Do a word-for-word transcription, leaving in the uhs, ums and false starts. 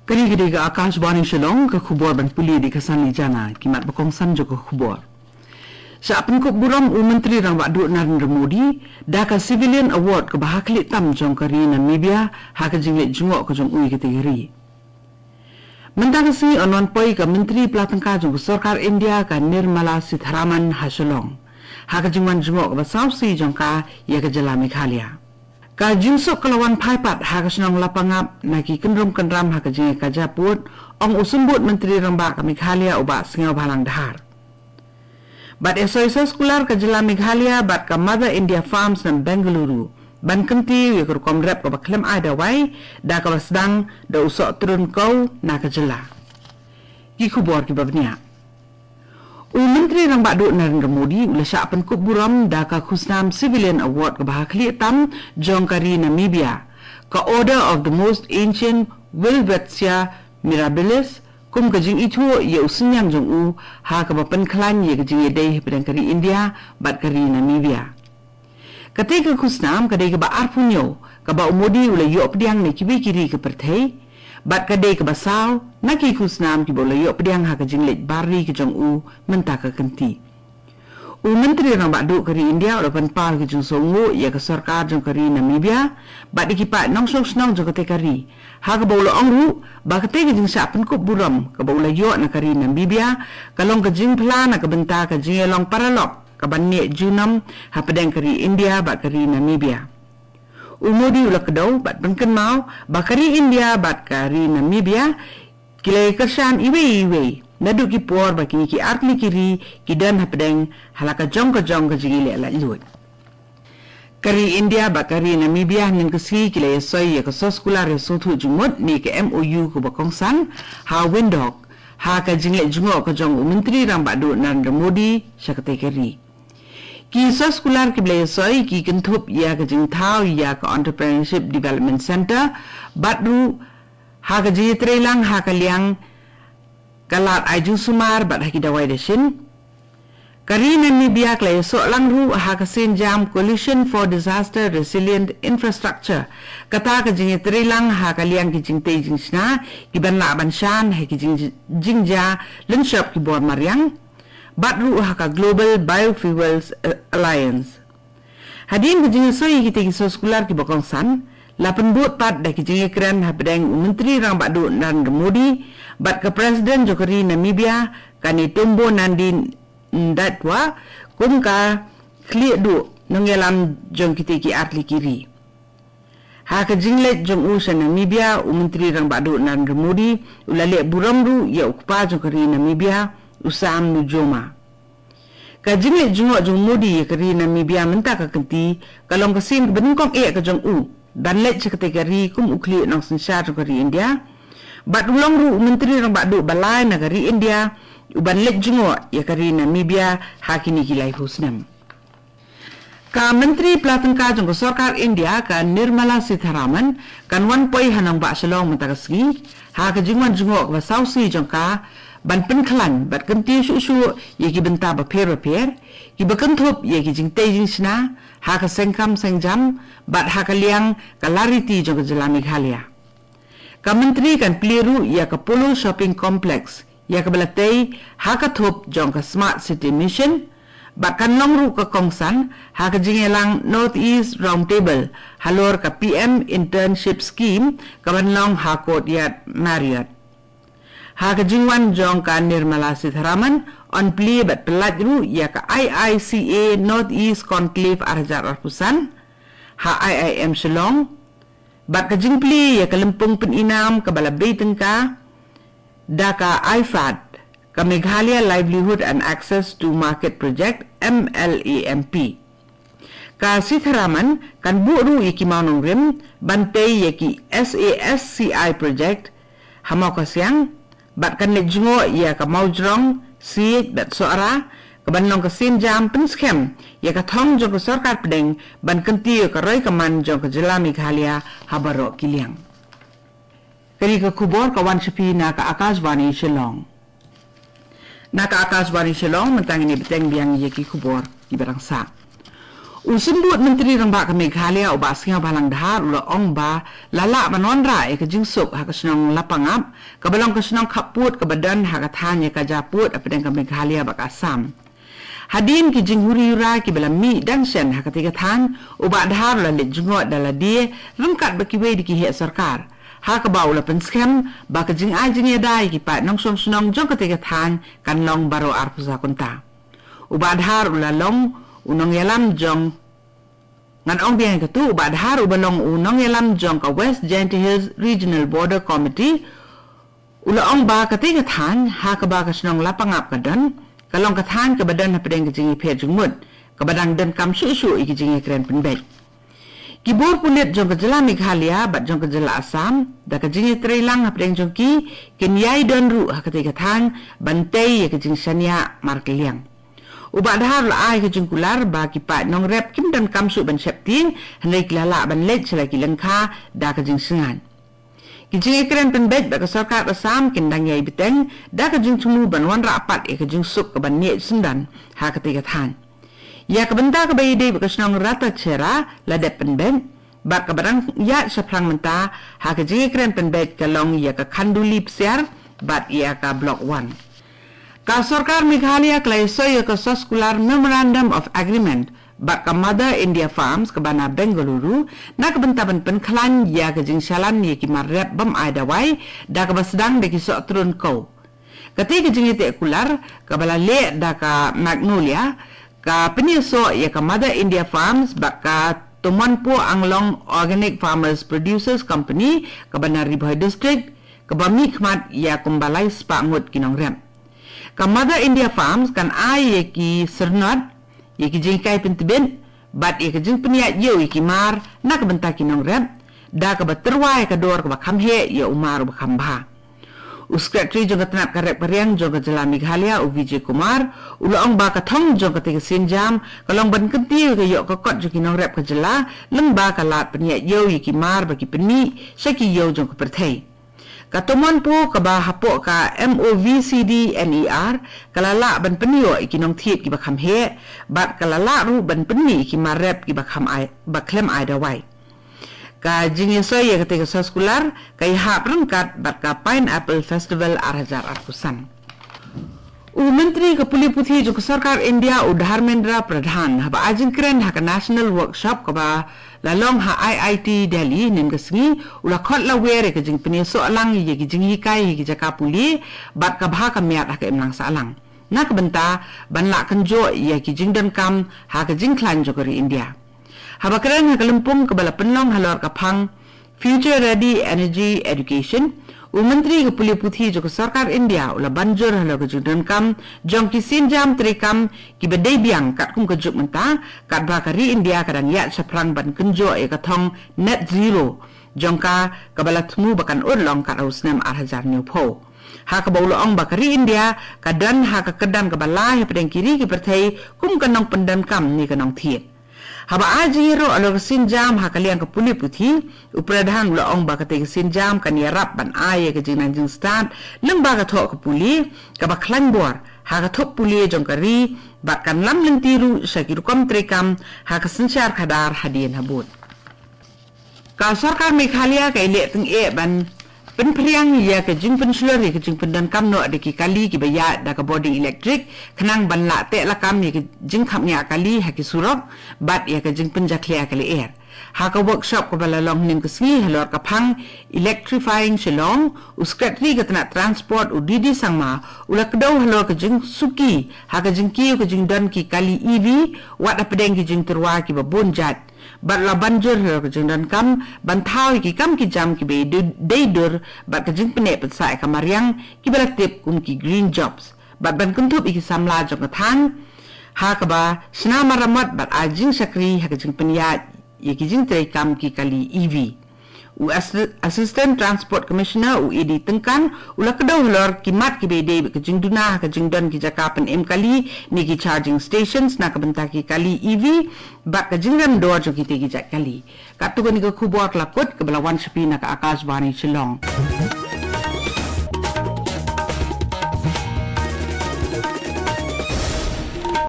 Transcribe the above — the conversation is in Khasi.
Kane ka dei ka Akashvani Shillong, ka khubor ban pule da ka Sanli Jana, ki mat ba kongsan jong ka khubor. Shah pynkup burom u Myntri Rangbah Duh Narendra Modi da ka Civilian Award kaba ha khlieh tam jong ka ri Namibia ha ka jingleit jngoh ka jong u ïa katei ka ri. Mynta ka sngi yn wan poi ka Myntri Pla Tyngka jong ka Sorkar India ka Nirmala Sitharaman ha Shillong ha ka jingwan jngoh kaba sawsih jong ka ïa ka jylla Meghalaya. Ka jingsuk ka la wan phai pat ha ka shnong Lapangap na ki kynrum kynram ha ka jingïakajia pud, ong u Symbud Myntri Rangbah ka Meghalaya u Bah Sniawbhalang Dhar. Bad i soi soskular ka jylla Meghalaya bad ka Mother India Farms na Bengaluru ban kyntiew ïa ka rukom rep kaba khlem ai dawai da kaba sdang da u Soh Trun Kew na ka jylla. Ki khubor kiba bniah. U Myntri Rangbah Duh Narendra Modi u la shah pynkup burom da ka khusnam Civilian Award kaba ha khlieh tam jong ka ri Namibia, ka Order of the Most Ancient Wilvetsia Mirabilis, kum ka jingithuh ïa u synñiang jong u ha kaba pynkhlaiñ ïa ka jingïadei hapdeng ka ri India bad ka ri Namibia. Katei ka khusnam ka dei kaba arphew hynñiew kaba u Modi u la ïoh pdiang na kiwei ki ri ka pyrthei, bad ka dei kaba saw na ki khusnam kiba u la ïoh pdiang ha ka jingleit bar ri ka jong u mynta ka kynti. U Myntri Rangbah Duh ka ri India u la pynpaw ïa ka jingsngewnguh ïa ka sorkar jong ka ri Namibia bad ïa ki paid nongshong shnong jong katei ka ri, ha kaba u la ong ruh ba katei ka jingshah pynkup burom kaba u la ïoh na ka ri Namibia ka long ka jingphla na ka bynta ka jingïalong paralok kaban neh junom hapdeng ka ri India bad ka ri Namibia. U Modi u la kdew bad pynkynmaw ba ka ri India bad ka ri Namibia ki la ïakyrshan iwei iwei naduh ki por ba kine ki artylli ki ri ki don hapdeng ha la ka jong ka jong ka jingïaleh laitluid. Ka ri India bad ka ri Namibia hynnin ka sngi ki la ïasoi ïa ka soskular ïasngewthuh jingmut ne ka M O U kaba kongsan ha Windhoek ha ka jingleit jngoh ka jong u Myntri Rangbah Duh Narendra Modi sha katei ka ri. Ki soskular kiba la ïasoi ki kynthup ïa ka jingthaw ïa ka Entrepreneurship Development Centre bad ruh ha ka jingïatreilang ha ka liang ka lad ai jingsumar bad ha ki dawai dashin. Ka ri Namibia ka la ïasoh lang ruh ha ka sienjam Coalition for Disaster Resilient Infrastructure, kata ka jingïatreilang ha ka liang ki jingtei jingshna kiban lah ban shan ha ki jing, jingjia lynshop ki bor mariang, bad ruh ha ka Global Biofuels Alliance. Hadien ka jingïasoi ïa kitei ki soskular kiba kongsan, la pynbud pat da ki jingïakren hapdeng u Myntri Rangbah Duh Narendra Modi bad ka President jong ka ri Namibia ka Netumbo Nandi Ndaitwah kum ka khlieh duh nongïalam jong kitei ki artylli ki ri. Ha ka jingleit jong u sha Namibia, u Myntri Rangbah Duh Narendra Modi u la leh burom ruh ïa u kpa jong ka ri Namibia, u Sam Nujoma. Ka jingleit jngoh jong u Modi ïa ka ri Namibia mynta ka kynti ka long ka sien kaba nyngkong eh ka jong u ban leit sha katei ka ri kum u khlieh nongsynshar jong ka ri India, bad u long ruh u Myntri Rangbah Duh ba lai na ka ri India uban leit jngoh ïa ka ri Namibia ha kine ki laiphew snem. Ka Myntri Pla Tyngka jong ka Sorkar India ka Nirmala Sitharaman kan wan poi ha nongbah Shillong mynta ka sngi ha ka jingwan jngoh kaba sawsih jong ka ban pynkhlaiñ bad kyntiew shuh shuh ïa ki bynta bapher bapher kiba kynthup ïa ki jingtei jingshna ha ka seng kam seng jam bad ha ka liang ka lariti jong ka jylla Meghalaya. Ka Myntri kan plie ruh ïa ka Polo Shopping Complex ïa kaba la tei ha ka thup jong ka Smart City Mission bad kan long ruh ka kongsan ha ka jingïalang North East Roundtable halor ka P M Internship Scheme kaban long ha Courtyard Marriott. Ha ka jingwan jong ka Nirmala Sitharaman yn plie bad pyllait ruh ïa ka I I C A North East Conclave ar hajar arphew san ha I I M Shillong, bad ka jingplie ïa ka lympung pyninam kaba la bei tyngka da ka IFAD, ka Meghalaya Livelihood and Access to Market Project, M L A M P. Ka Sitharaman kan buh ruh ïa ki mawnongrim ban tei ïa ki SASCI project ha Mawkasiang bad kan leit jngoh ïa ka Mawjrong, Siej bad Sohra kaban long ka sienjam pynskhem ïa ka thong jong ka sorkar pdeng ban kyntiew ïa ka roi ka man jong ka jylla Meghalaya ha baroh ki liang. Kane ka khubor ka wan sha phi na ka Akashvani Shillong. Na ka Akashvani Shillong mynta ngin ïa bteng biang ïa ki khubor kiba dang sah. U Symbud Myntri Rangbah ka Meghalaya u Bah Sniawbhalang Dhar u la ong ba la lah ban wanrah ïa ka jingsuk ha ka shnong Lapangap, kaba long ka shnong khappud kaba don ha ka thaiñ ïakajia pud hapdeng ka Meghalaya bad ka Assam. Hadien ki jinghuri hura kiba la mih dang shen ha katei ka thaiñ, u Bah Dhar u la leit jngoh da lade ryngkat bad kiwei de ki heh sorkar, ha kaba u la pynskhem ba ka jingai jingïada ïa ki paid nongshong shnong jong katei ka thaiñ kan long baroh arphew saw kynta. U Bah Dhar u la long u nongïalam jong, ngan ong biang ïa katu, u Bah Dhar uba long u nongïalam jong ka West Jaintia Hills Regional Border Committee u la ong ba katei ka thaiñ ha kaba ka shnong Lapangap ka don, ka long ka thaiñ kaba don hapdeng ka jingïapher jingmut, kaba dang donkam shuh shuh ïa ki jingïakren pynbeit. Ki bor pulit jong ka jylla Meghalaya bad jong ka jylla Assam, da ka jingïatreilang hapdeng jong ki, kin ïai don ruh ha katei ka thaiñ ban tei ïa ka jingshaniah markylliang. U Bah Dhar u la ai ka jingkular ba ki paid nongrep kim donkam shuh ban sheptieng, hynrei ki la lah ban leit sha la ki lyngkha da ka jingsngewbha. Ki jingïakren pynbeit bad ka sorkar Assam kin dang ïai bteng da ka jingthmu ban wanrah pat ïa ka jingsuk kaban ïeh syndon ha katei ka thaiñ. Ïa ka bynta kaba ïadei bad ka shnong Rattachera la dep pynbeit, bad kaba dang ïaid shaphrang mynta ha ka jingïakren pynbeit ka long ïa ka Khanduli Psiar bad ïa ka Block One. Ka sorkar Meghalaya ka la ïasoi ïa ka soskular Memorandum of Agreement bad ka Mother India Farms kaba na Bengaluru, na ka bynta ban pynkhlaiñ ïa ka jingshalan ïa ki mar rep bym ai dawai, da kaba sdang da ki sohtrun kew. Katei ka jingïateh kular kaba la leh da ka Magnolia, ka pynïasoh ïa ka Mother India Farms bad ka Tomanpo Anglong Organic Farmers Producers Company kaba na Ri Bhoi District, kaba mihkhmat ïa kumba lai spah ngut ki nongrep. Ka Mother India Farms kan ai ïa ki syrnod, ïa ki jinghikai pyntbit, bad ïa ka jingpynïaid ïew ïa ki mar na ka bynta ki nongrep, da kaba tyrwa ïa ka dor kaba kham heh ïa u mar uba kham bha. U Secretary jong ka tnat ka rep ka riang jong ka jylla Meghalaya, u Vijay Kumar, u la ong ba ka thong jong katei ka sienjam ka long ban kyntiew ïa ka ïoh ka kot jong ki nongrep ka jylla, lyngba ka lad pynïaid ïew ïa ki mar ba ki pynmih sha ki ïew jong ka pyrthei. Ka Tomanpo kaba hapoh ka MOVCDNER ka la lah ban pynïoh ïa ki nongthied kiba kham heh, bad ka la lah ruh ban pynmih ïa ki mar rep kiba kham ai, ba khlem ai dawai. Ka jingïasoi ïa katei ka soskular ka ïahap ryngkat bad ka Pineapple Festival ar hajar arphew san. U Myntri ka Pule Puthi jong ka Sorkar India, u Dharmendra Pradhan, haba ai jingkren ha ka National Workshop kaba la long ha IIT Delhi hynnin ka sngi, u la khot lawer ïa ka jingpynïasoh lang ïa ki jinghikai ha ki jaka pule bad ka bha ka miat ha ka imlang sahlang, na ka bynta ban lah kynjoh ïa ki jingdonkam ha ka jingkhlaiñ jong ka ri India. Haba kren ha ka lympung kaba la pynlong halor ka phang Future Ready Energy Education, u Myntri ka Pule Puthi jong ka Sorkar India u la ban jur halor ka jingdonkam jong ki sienjam treikam kiba dei biang katkum ka juk mynta, katba ka ri India ka dang ïaid shaphrang ban kynjoh ïa ka thong Net Zero jong ka, kaba la thmu ba kan urlong kat ha u snem ar hajar hynñiewphew. Ha kaba u la ong ba ka ri India ka don ha ka kyrdan kaba lai hapdeng ki ri ki pyrthei kum ka nongpyndonkam ne ka nongthied. Haba ai jingïaroh halor ka sienjam ha ka liang ka Pule Puthi, u Pradhan u la ong ba katei ka sienjam kan ïarap ban ai ïa ka jingnang jingstad lyngba ka thoh ka pule kaba khlaiñ bor ha ka thoh pule jong ka ri, bad kan lam lynti ruh sha ki rukom treikam ha ka synshar khadar hadien habud. Ka Sorkar Meghalaya ka ïaleh tyngeh ban pynphriang ïa ka jingpynshlur ïa ka jingpyndonkam noh da ki kali kiba ïaid da ka bording elektrik, khnang ban lah teh lakam ïa ka jingkhapngiah kali ha ki surok bad ïa ka jingpynjakhlia ka lyer. Ha ka workshop kaba la long hynnin ka sngi halor ka phang Electrifying Shillong, u Secretary ka tnat Transport, u D D Sangma, u la kdew halor ka jingsuki ha ka jingkiew ka jingdon ki kali E V, wat hapdeng ki jingtyrwa kiba bun jait, bad la ban jur halor ka jingdonkam ban thaw ïa ki kam ki jam kiba dei, dei dur bad ka jingpynneh pynsah ïa ka mariang, kiba la tip kum ki green jobs, bad ban kynthup ïa ki samla jong ka thaiñ ha kaba shna maramot bad ai jingshakri ha ka jingpynïaid ïa ki jingtreikam ki kali E V. U Assi-, Assistant Transport Commissioner, u A D Tyngkan, u la kdew halor ki mat kiba dei bad ka jingduna ha ka jingdon ki jaka pynim kali ne ki charging stations na ka bynta ki kali E V bad ka jingrem dor jong kitei ki jait kali. Katto katne ka khubor ka la kut kaba la wan sha phi na ka Akashvani Shillong.